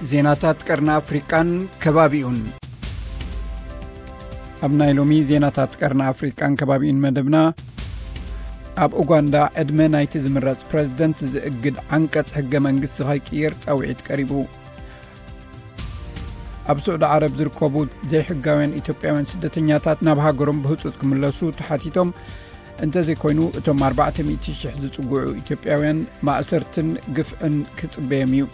ዜናታት ቀርኒ ኣፍሪቃን ከባቢኡን። ኣብ ናይ ሎሚ ዜናታት ቀርኒ ኣፍሪቃን ከባቢኡን መደብና፣ ኣብ ኡጋንዳ ዕድመ ናይቲ ዝምረጽ ፕረዚደንት ዝእግድ ዓንቀጽ ሕገ መንግስቲ ከይቅየር ጻውዒት ቀሪቡ። ኣብ ስዑዲ ዓረብ ዝርከቡ ዘይሕጋውያን ኢትዮጵያውያን ስደተኛታት ናብ ሃገሮም ብህጹጽ ክምለሱ ተሓቲቶም፣ እንተዘይኮይኑ እቶም ኣርባዕተ ሚእቲ ሽሕ ዝጽግዑ ኢትዮጵያውያን ማእሰርትን ግፍዕን ክጽበዮም እዩ።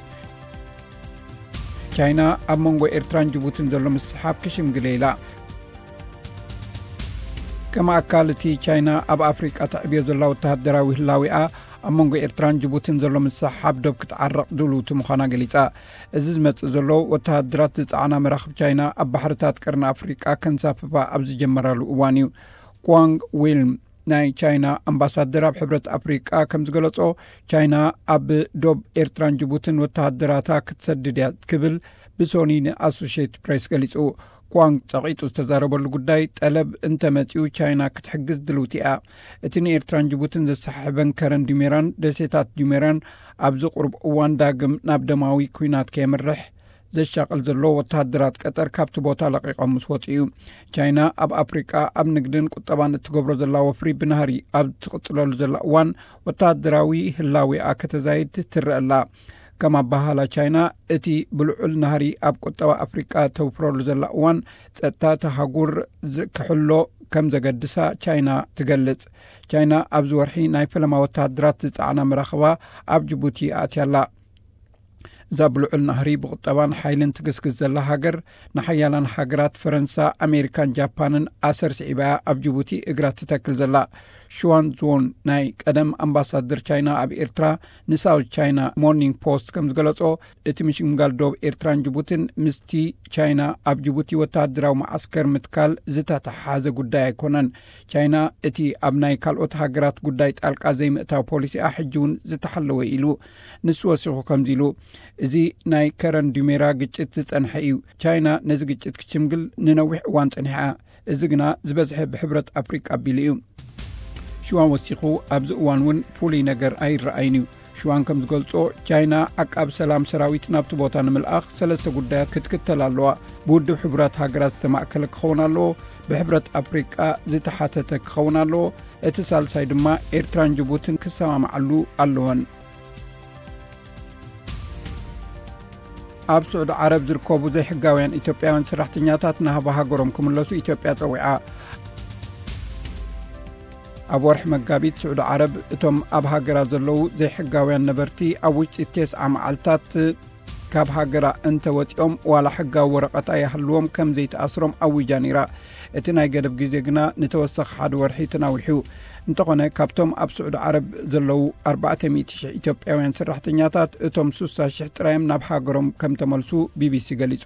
ቻይና ኣብ መንጎ ኤርትራን ጅቡትን ዘሎ ምስሓብ ክሽምግል ኢላ። ከም ኣካል እቲ ቻይና ኣብ ኣፍሪቃ ተዕብዮ ዘላ ወተሃደራዊ ህላዊኣ፣ ኣብ መንጎ ኤርትራን ጅቡትን ዘሎ ምስሓብ ዶብ ክትዓርቕ ድልውቲ ምዃና ገሊጻ። እዚ ዝመጽእ ዘሎ ወተሃደራት ዝጸዓና መራኽብ ቻይና ኣብ ባሕርታት ቀርኒ ኣፍሪቃ ከንሳፍፋ ኣብ ዝጀመራሉ እዋን እዩ። ኳንግ ዊልም፣ ናይ ቻይና ኣምባሳደር ኣብ ሕብረት ኣፍሪቃ ከም ዝገለጾ፣ ቻይና ኣብ ዶብ ኤርትራን ጅቡትን ወተሃደራታ ክትሰድድ እያ ክብል ብሶኒ ንኣሶሽየትድ ፕሬስ ገሊጹ። ኳንግ ጸቒጡ ዝተዛረበሉ ጉዳይ፣ ጠለብ እንተመጺኡ ቻይና ክትሕግዝ ድልውቲ እያ። እቲ ንኤርትራን ጅቡትን ዘሰሓሕበን ከረን ዲሜራን ደሴታት ዲሜራን ኣብዚ ቁሩብ እዋን ዳግም ናብ ደማዊ ኲናት ከየምርሕ ዘሻቕል ዘሎ ወተሃደራት ቀጠር ካብቲ ቦታ ለቒቖም ምስ ወጹ እዩ። ቻይና ኣብ ኣፍሪቃ ኣብ ንግድን ቁጠባን እትገብሮ ዘላ ወፍሪ ብናህሪ ኣብ ትቕጽለሉ ዘላ እዋን፣ ወተሃደራዊ ህላዌኣ ከተዛይድ ትረአ ኣላ። ከም ኣባሃላ ቻይና፣ እቲ ብልዑል ናህሪ ኣብ ቁጠባ ኣፍሪቃ ተውፍረሉ ዘላ እዋን፣ ጸጥታ እታ ሃጉር ዝ-፣ ክሕሎ ከም ዘገድሳ ቻይና ትገልጽ። ቻይና ኣብዚ ወርሒ ናይ ፈለማ ወተሃደራት ዝጸዓና መራኽባ ኣብ ጅቡቲ ኣትያ ኣላ። እዛ ብልዑል ናህሪ ብቁጠባን ሓይልን ትግስግስ ዘላ ሃገር፣ ንሓያላን ሃገራት ፈረንሳ፣ ኣሜሪካን ጃፓንን ኣሰር ስዒባ እያ ኣብ ጅቡቲ እግራ ትተክል ዘላ። ሽዋን ዙን፣ ናይ ቀደም ኣምባሳደር ቻይና ኣብ ኤርትራ፣ ንሳውዝ ቻይና ሞርኒንግ ፖስት ከም ዝገለጾ፣ እቲ ምሽምጋል ዶብ ኤርትራን ጅቡትን ምስቲ ቻይና ኣብ ጅቡቲ ወተሃደራዊ መዓስከር ምትካል ዝተተሓሓዘ ጉዳይ ኣይኮነን። ቻይና እቲ ኣብ ናይ ካልኦት ሃገራት ጉዳይ ጣልቃ ዘይምእታው ፖሊሲኣ ሕጂ እውን ዝተሓለወ ኢሉ። ንሱ ወሲኹ ከምዚ ኢሉ፣ "እዚ ናይ ከረን ዱሜራ ግጭት ዝጸንሐ እዩ። ቻይና ነዚ ግጭት ክትሽምግል ንነዊሕ እዋን ጸኒሓ። እዚ ግና ዝበዝሐ ብሕብረት ኣፍሪቃ ኣቢሉ እዩ።" ሽዋን ወሲኹ፣ "ኣብዚ እዋን እውን ፍሉይ ነገር ኣይረኣይን እዩ።" ሽዋን ከም ዝገልጾ፣ ቻይና ዓቃብ ሰላም ሰራዊት ናብቲ ቦታ ንምልኣኽ ሰለስተ ጉዳያት ክትክተል ኣለዋ። ብውድብ ሕቡራት ሃገራት ዝተማእከለ ክኸውን ኣለዎ፣ ብሕብረት ኣፍሪቃ ዝተሓተተ ክኸውን ኣለዎ፣ እቲ ሳልሳይ ድማ ኤርትራን ጅቡትን ክሰማምዓሉ ኣለወን። ኣብ ስዑዲ ዓረብ ዝርከቡ ዘይሕጋውያን ኢትዮጵያውያን ሰራሕተኛታት ናብ ሃገሮም ክምለሱ ኢትዮጵያ ጸዊዓ። ኣብ ወርሒ መጋቢት፣ ስዑዲ ዓረብ እቶም ኣብ ሃገራ ዘለዉ ዘይሕጋውያን ነበርቲ ኣብ ውሽጢ ተስዓ መዓልታት ካብ ሃገራ እንተወጺኦም፣ ዋላ ሕጋዊ ወረቐት ኣይሃልዎም፣ ከም ዘይትኣስሮም ኣዊጃ ነይራ። እቲ ናይ ገደብ ግዜ ግና ንተወሳኺ ሓደ ወርሒ ተናዊሑ። እንተኾነ፣ ካብቶም ኣብ ስዑዲ ዓረብ ዘለዉ ኣርባዕተ ሚእቲ ሽሕ ኢትዮጵያውያን ሰራሕተኛታት፣ እቶም ስሳ ሽሕ ጥራዮም ናብ ሃገሮም ከም ተመልሱ ቢቢሲ ገሊጹ።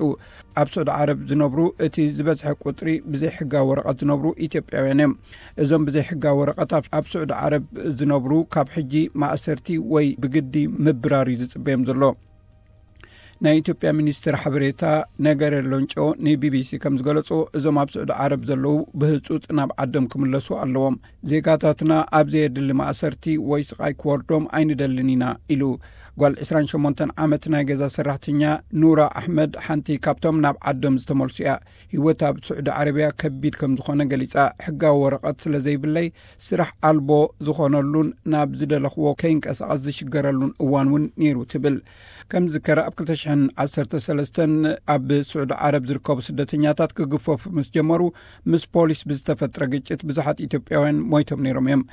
ኣብ ስዑዲ ዓረብ ዝነብሩ እቲ ዝበዝሐ ቁጽሪ ብዘይ ሕጋዊ ወረቐት ዝነብሩ ኢትዮጵያውያን እዮም። እዞም ብዘይ ሕጋዊ ወረቐት ኣብ፣ ኣብ ስዑዲ ዓረብ ዝነብሩ ካብ ሕጂ ማእሰርቲ ወይ ብግዲ ምብራር እዩ ዝጽበዮም ዘሎ። ናይ ኢትዮጵያ ሚኒስትር ሓበሬታ ነገረ ሎንጮ ንቢቢሲ ከም ዝገለጾ፣ እዞም ኣብ ስዑዲ ዓረብ ዘለዉ ብህጹጽ ናብ ዓዶም ክምለሱ ኣለዎም። ዜጋታትና ኣብ ዘየድሊ ማእሰርቲ ወይ ስቓይ ክወርዶም ኣይንደልን ኢና ኢሉ። ጓል ዕስራን ሸሞንተን ዓመት ናይ ገዛ ሰራሕተኛ ኑራ ኣሕመድ ሓንቲ ካብቶም ናብ ዓዶም ዝተመልሱ እያ። ህይወት ኣብ ስዑዲ ዓረብያ ከቢድ ከም ዝኾነ ገሊጻ። ሕጋዊ ወረቐት ስለ ዘይብለይ፣ ስራሕ ኣልቦ ዝኾነሉን ናብ ዝደለኽዎ ከይንቀሳቐስ ዝሽገረሉን እዋን እውን ነይሩ ትብል። ከም ዝዝከር፣ ኣብ ክልተ ሽሕን ዓሰርተ ሰለስተን ኣብ ስዑዲ ዓረብ ዝርከቡ ስደተኛታት ክግፈፉ ምስ ጀመሩ፣ ምስ ፖሊስ ብዝተፈጥረ ግጭት ብዙሓት ኢትዮጵያውያን ሞይቶም ነይሮም እዮም።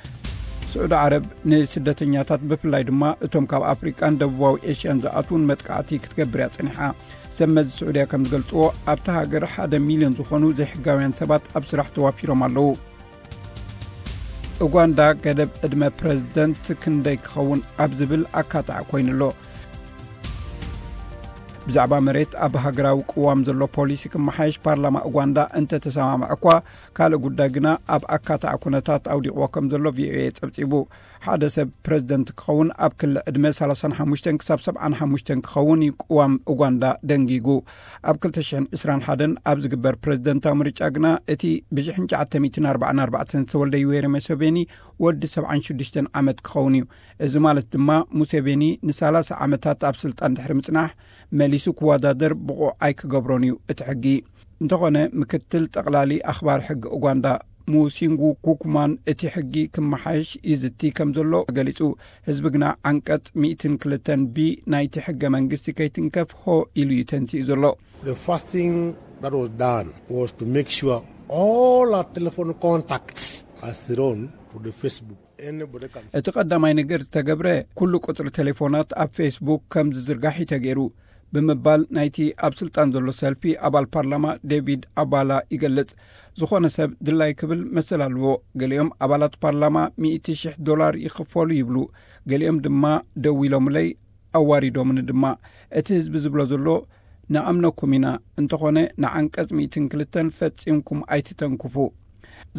ስዑዲ ዓረብ ንስደተኛታት፣ ብፍላይ ድማ እቶም ካብ ኣፍሪቃን ደቡባዊ ኤሽያን ዝኣትዉን መጥቃዕቲ ክትገብር እያ ጸኒሓ። ሰብ መዚ ስዑድያ ከም ዝገልጽዎ፣ ኣብታ ሃገር ሓደ ሚልዮን ዝኾኑ ዘይሕጋውያን ሰባት ኣብ ስራሕ ተዋፊሮም ኣለዉ። ኡጋንዳ፣ ገደብ ዕድመ ፕረዚደንት ክንደይ ክኸውን ኣብ ዝብል ኣካታዒ ኮይኑ ኣሎ። ብዛዕባ መሬት ኣብ ሃገራዊ ቅዋም ዘሎ ፖሊሲ ክመሓየሽ ፓርላማ ኡጋንዳ እንተተሰማምዐ እኳ፣ ካልእ ጉዳይ ግና ኣብ ኣካታዒ ኩነታት ኣውዲቕዎ ከም ዘሎ ቪኦኤ ጸብጺቡ። ሓደ ሰብ ፕረዚደንት ክኸውን ኣብ ክሊ ዕድመ ሰላሳን ሓሙሽተን ክሳብ ሰብዓን ሓሙሽተን ክኸውን እዩ ቅዋም ኡጋንዳ ደንጊጉ። ኣብ ክልተ ሽሕን ዕስራን ሓደን ኣብ ዝግበር ፕረዚደንታዊ ምርጫ ግና እቲ ብሽሕን ትሽዓተ ሚእትን ኣርባዓን ኣርባዕተን ዝተወልደ ዩዌሪ ሙሴቬኒ ወዲ ሰብዓን ሽዱሽተን ዓመት ክኸውን እዩ። እዚ ማለት ድማ ሙሴቬኒ ንሳላሳ ዓመታት ኣብ ስልጣን ድሕሪ ምጽናሕ መሊሱ ክወዳደር ብቑዕ ኣይክገብሮን እዩ እቲ ሕጊ። እንተኾነ ምክትል ጠቕላሊ ኣኽባር ሕጊ ኡጋንዳ ሙሲንጉ ኩኩማን እቲ ሕጊ ክመሓየሽ ይዝቲ ከም ዘሎ ገሊጹ። ህዝቢ ግና ዓንቀጽ ሚእትን ክልተን ቢ ናይቲ ሕገ መንግስቲ ከይትንከፍ ሆ ኢሉ እዩ ተንሲኡ ዘሎ። The first thing that was done was to make sure all our telephone contacts are thrown to the Facebook. Anybody can እቲ ቀዳማይ ነገር ዝተገብረ ኩሉ ቁጽሪ ቴሌፎናት ኣብ ፌስቡክ ከም ዝዝርጋሕ እዩ ተገይሩ ብምባል ናይቲ ኣብ ስልጣን ዘሎ ሰልፊ ኣባል ፓርላማ ዴቪድ ኣባላ ይገልጽ። ዝኾነ ሰብ ድላይ ክብል መሰል ኣለዎ። ገሊኦም ኣባላት ፓርላማ ሚእቲ ሽሕ ዶላር ይኽፈሉ ይብሉ። ገሊኦም ድማ ደው ኢሎምለይ ኣዋሪዶምኒ ድማ። እቲ ህዝቢ ዝብሎ ዘሎ ንኣምነኩም ኢና፣ እንተኾነ ንዓንቀጽ ሚእትን ክልተን ፈጺምኩም ኣይትተንክፉ።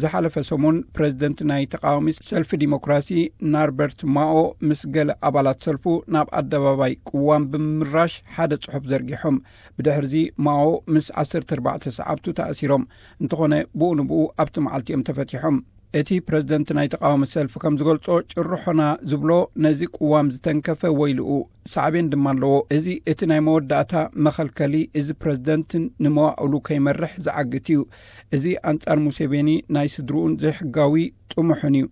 ዝሓለፈ ሰሙን ፕረዚደንት ናይ ተቃዋሚ ሰልፊ ዲሞክራሲ ናርበርት ማኦ ምስ ገለ ኣባላት ሰልፉ ናብ ኣደባባይ ቅዋም ብምምራሽ ሓደ ጽሑፍ ዘርጊሖም። ብድሕርዚ ማኦ ምስ ዓሰርተ ኣርባዕተ ሰዓብቱ ተኣሲሮም። እንተኾነ ብኡ ንብኡ ኣብቲ መዓልቲ እዮም ተፈቲሖም። እቲ ፕረዚደንት ናይ ተቃዋሚ ሰልፊ ከም ዝገልጾ ጭርሖና ዝብሎ ነዚ ቅዋም ዝተንከፈ ወይልኡ ሳዕቤን ድማ ኣለዎ። እዚ እቲ ናይ መወዳእታ መኸልከሊ እዚ ፕረዚደንት ንመዋእሉ ከይመርሕ ዝዓግት እዩ። እዚ ኣንጻር ሙሴቬኒ ናይ ስድርኡን ዘይሕጋዊ ጥሙሕን እዩ።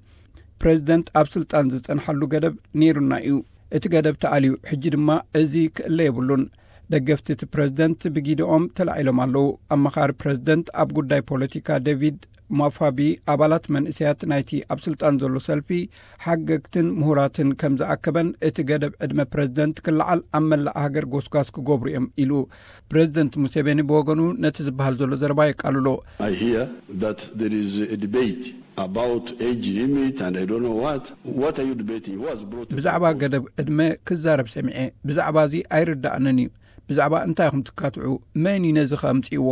ፕረዚደንት ኣብ ስልጣን ዝጸንሓሉ ገደብ ነይሩና እዩ። እቲ ገደብ ተኣልዩ፣ ሕጂ ድማ እዚ ክእለ የብሉን። ደገፍቲ እቲ ፕረዚደንት ብጊድኦም ተላዒሎም ኣለዉ። ኣመኻሪ ፕረዚደንት ኣብ ጉዳይ ፖለቲካ ዴቪድ ማፋቢ ኣባላት መንእሰያት ናይቲ ኣብ ስልጣን ዘሎ ሰልፊ ሓገግትን ምሁራትን ከም ዝኣከበን እቲ ገደብ ዕድመ ፕረዚደንት ክለዓል ኣብ መላእ ሃገር ጎስጓስ ክገብሩ እዮም ኢሉ። ፕረዚደንት ሙሴቬኒ ብወገኑ ነቲ ዝበሃል ዘሎ ዘረባ የቃልሎ። I hear that there is a debate about age limit and I don't know what. What are you debating? Who has brought it? ብዛዕባ ገደብ ዕድመ ክዛረብ ሰሚዐ። ብዛዕባ እዚ ኣይርዳእንን እዩ። ብዛዕባ እንታይ ኢኹም ትካትዑ? መን እዩ ነዚ ከ ኣምጺእዎ?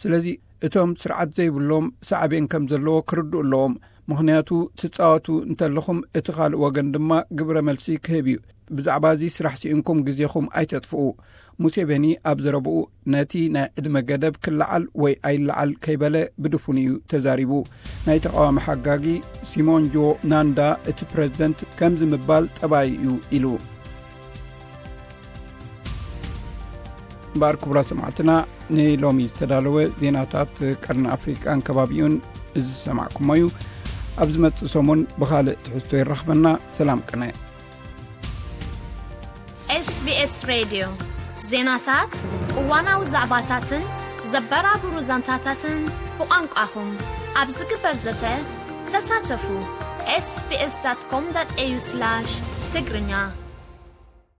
ስለዚ እቶም ስርዓት ዘይብሎም ሳዕቤን ከም ዘለዎ ክርድኡ ኣለዎም። ምኽንያቱ ትጻወቱ እንተለኹም እቲ ካልእ ወገን ድማ ግብረ መልሲ ክህብ እዩ። ብዛዕባ እዚ ስራሕ ስኢንኩም ግዜኹም ኣይተጥፍኡ። ሙሴቬኒ ኣብ ዘረብኡ ነቲ ናይ ዕድመ ገደብ ክለዓል ወይ ኣይለዓል ከይበለ ብድፉን እዩ ተዛሪቡ። ናይ ተቃዋሚ ሓጋጊ ሲሞንጆ ናንዳ እቲ ፕረዚደንት ከምዚ ምባል ጠባይ እዩ ኢሉ። እምበኣር ክቡራት ሰማዕትና ንሎሚ ዝተዳለወ ዜናታት ቀርኒ ኣፍሪቃን ከባቢኡን እዚ ዝሰማዕኩሞ እዩ። ኣብ ዝመጽእ ሰሙን ብኻልእ ትሕዝቶ ይራኽበና። ሰላም ቅነ። SBS ሬድዮ ዜናታት፣ እዋናዊ ዛዕባታትን ዘበራብሩ ዛንታታትን ብቋንቋኹም ኣብ ዝግበር ዘተ ተሳተፉ። ኤስቢኤስ ዳት ኮም ዳት ኤዩ ስላሽ ትግርኛ